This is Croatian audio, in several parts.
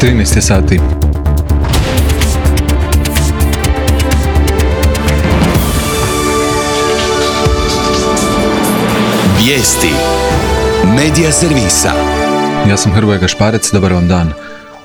13 sati. Vijesti Medija servisa. Ja sam Hrvoje Gašparec, dobar vam dan.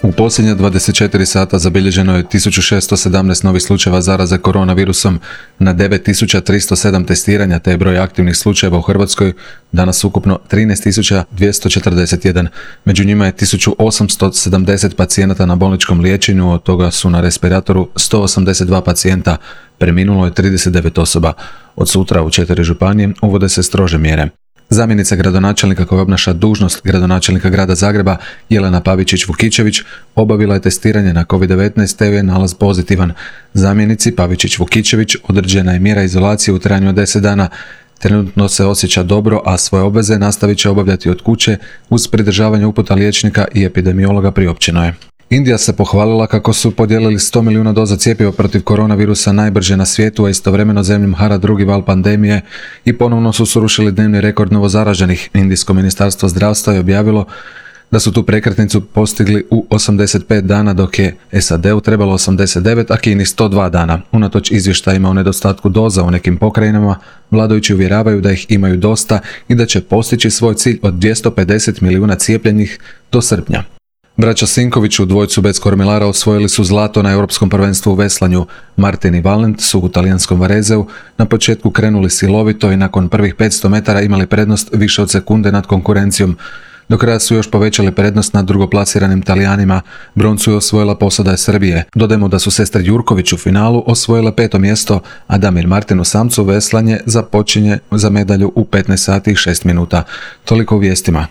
U posljednja 24 sata zabilježeno je 1617 novih slučajeva zaraze koronavirusom na 9307 testiranja, te je broj aktivnih slučajeva u Hrvatskoj danas ukupno 13241. Među njima je 1870 pacijenata na bolničkom liječenju, od toga su na respiratoru 182 pacijenta, preminulo je 39 osoba. Od sutra u 4 županije uvode se strože mjere. Zamjenica gradonačelnika koja obnaša dužnost gradonačelnika grada Zagreba, Jelena Pavičić-Vukičević, obavila je testiranje na COVID-19 te je nalaz pozitivan. Zamjenici Pavičić-Vukičević određena je mjera izolacije u trajanju od 10 dana. Trenutno se osjeća dobro, a svoje obveze nastavit će obavljati od kuće uz pridržavanje uputa liječnika i epidemiologa, priopćeno je. Indija se pohvalila kako su podijelili 100 milijuna doza cjepiva protiv koronavirusa najbrže na svijetu, a istovremeno zemljom hara drugi val pandemije i ponovno su srušili dnevni rekord novozaraženih. Indijsko ministarstvo zdravstva je objavilo da su tu prekretnicu postigli u 85 dana, dok je SAD-u trebalo 89, a Kini 102 dana. Unatoč izvještajima o nedostatku doza u nekim pokrajinama, vladajući uvjeravaju da ih imaju dosta i da će postići svoj cilj od 250 milijuna cijepljenih do srpnja. Braća Sinković u dvojcu bez kormilara osvojili su zlato na Europskom prvenstvu u veslanju. Martin i Valent su u talijanskom Varezeu na početku krenuli silovito i nakon prvih 500 metara imali prednost više od sekunde nad konkurencijom. Do kraja su još povećali prednost nad drugoplasiranim Talijanima. Broncu je osvojila posada Srbije. Dodajmo da su sestre Jurković u finalu osvojile 5. mjesto, a Damir Martin u samcu veslanje započinje za medalju u 15 sati i 6 minuta. Toliko u vijestima.